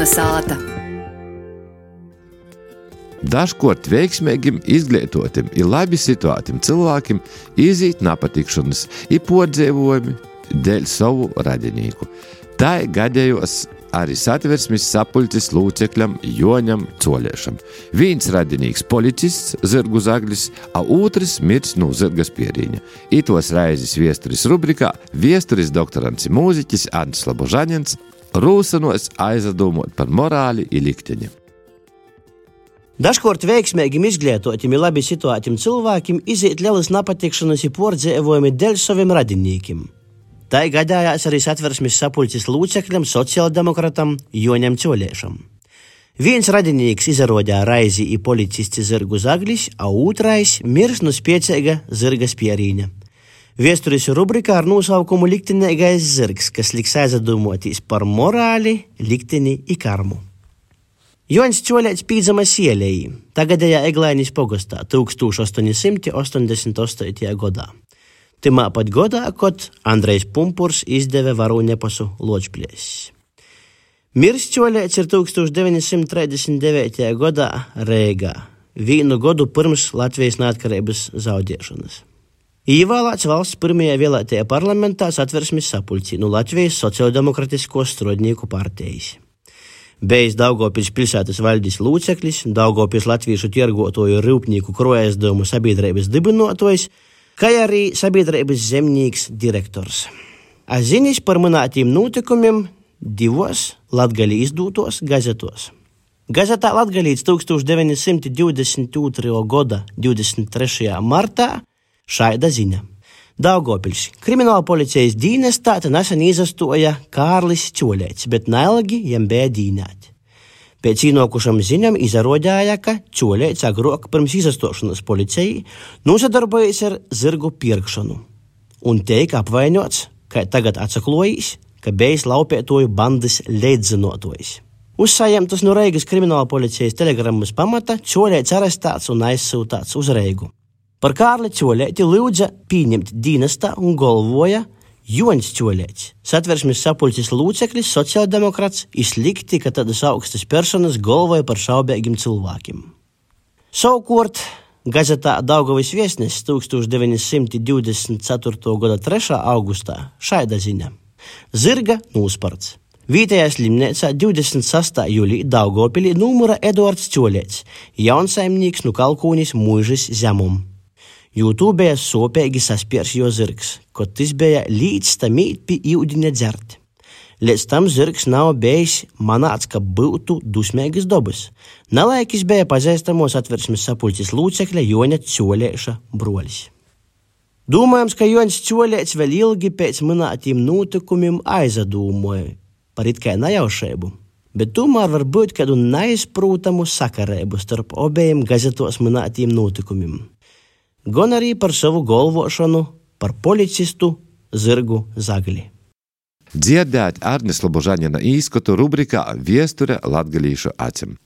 Kalnasāta. Dažkort veiksmīgim, izglītotim i labi situētim cilvēkim izīt napatikšanas i podzeivojumi dēļ savu radinīku. Tā gadējos arī Satversmes sapuļcis lūcekļam Joņam Coļiešam. Viens radinīks policists, Zyrgu Zaglis, a otrs mirs no zyrga spierīņa. Itos raizes viesturis rubrikā viesturis doktorants i mūziķis Ants Slobožaņins rūsanos aizdomot par morāli i likteņi. Dažkort veiksmīgim, izglītotim i labi situētim cilvēkim izīt lielas napatikšanas i pordzēvojumi dēļ saviem radinīkim. Tā gadījās arī Satversmes sapuļcis lūcekļam sociāldemokratam Joņam Coļiešam. Viens radinīks izarodīja raizi i policists Zyrgu Zaglis, a otrais mirs no spieceiga zyrga spierīņa. Viesturis rubrikā ar nosaukumu Liktenīgais zyrgs, kas liks aizdomotīs par morāli, likteni i karmu. Joņs Coļiets pīdzama Sielejī, tagadējā Eglainis pogostā 1888. gadā. Timā pat godā, kod Andrejs Pumpurs izdeve varu nepasu Ločplēs. Mirs Coļiets ir 1939. gadā Reigā, vienu godu pirms Latvijas neatkarības zaudēšanas. Īvēlēts valsts pirmajā vēlētajā parlamentā Satversmes sapuļcī no Latvijas sociāldemokratisko strādnieku partijas. Bijis Daugavpils pilsētas valdis lūceklis, Daugavpils latviešu tirgotoju rūpnieku krojaizdevumu sabiedrības dibinotojs, kā arī sabiedrības zemnīks direktors. Ziņas par minētiem notikumiem divos Latgali izdūtos gazetos. Gazetā Latgalīts 1922. gada 23. martā šaida ziņa. Daugavpils krimināla policijas dīnestā nesen izastoja Kārlis Coļiets, bet neilgi jam bija dīnēti. Pēc īnokušam ziņam izarodēja, ka Coļiets agrāk pirms izastošanas policijai nosadarbojas ar zyrgu pirkšanu un teik apvainots, ka tagad atsaklojīs, ka bijis laupētoju bandas leidzinotojs. Uzsājamtas no Reigas krimināla policijas telegrammas pamata Coļiets arestēts un aizsūtāts uz Reigu. Par Kārli Coļieti lūdza pieņemt dīnestā un galvoja Joņs Coļiets, Satversmes sapuļcis lūceklis, sociāldemokrats, izlikti, ka tādas augstas personas galvoja par šaubēgiem cilvēkiem. Savukārt, gazetā Daugavas viesnesis 1924. gada 3. augustā šaida ziņa. Zyrga nūsparts. Vītajā slimnēcā 26. jūlī Daugavpilī numura Eduards Coļiets, jaunsaimnieks no Kalkūnis Muižas zemum. Jūtū bija sopēgi saspiers jo zyrgs, kod tis bija līdz tamīt pi iudiņa dzert. Līdz tam zyrgs nav bijis manāts, ka būtu dusmēgas dobas. Nalaikis bija pazīstamos Satversmes sapuļcis lūcekļa Joņa Coļieša brolis. Domājams, ka Joņs Coļiets vēl ilgi pēc minētiem notikumiem aizdomāja par it kā nejaušību, bet tomēr var būt kādu neizprūtamu sakarību starp obējiem gazetos minētiem notikumiem. Gan arī par savu galvošanu par policistu Zyrgu Zagli. Dzirdēt Arnis Slobožaņina īskatu rubrikā Viesture latgalīšu acim.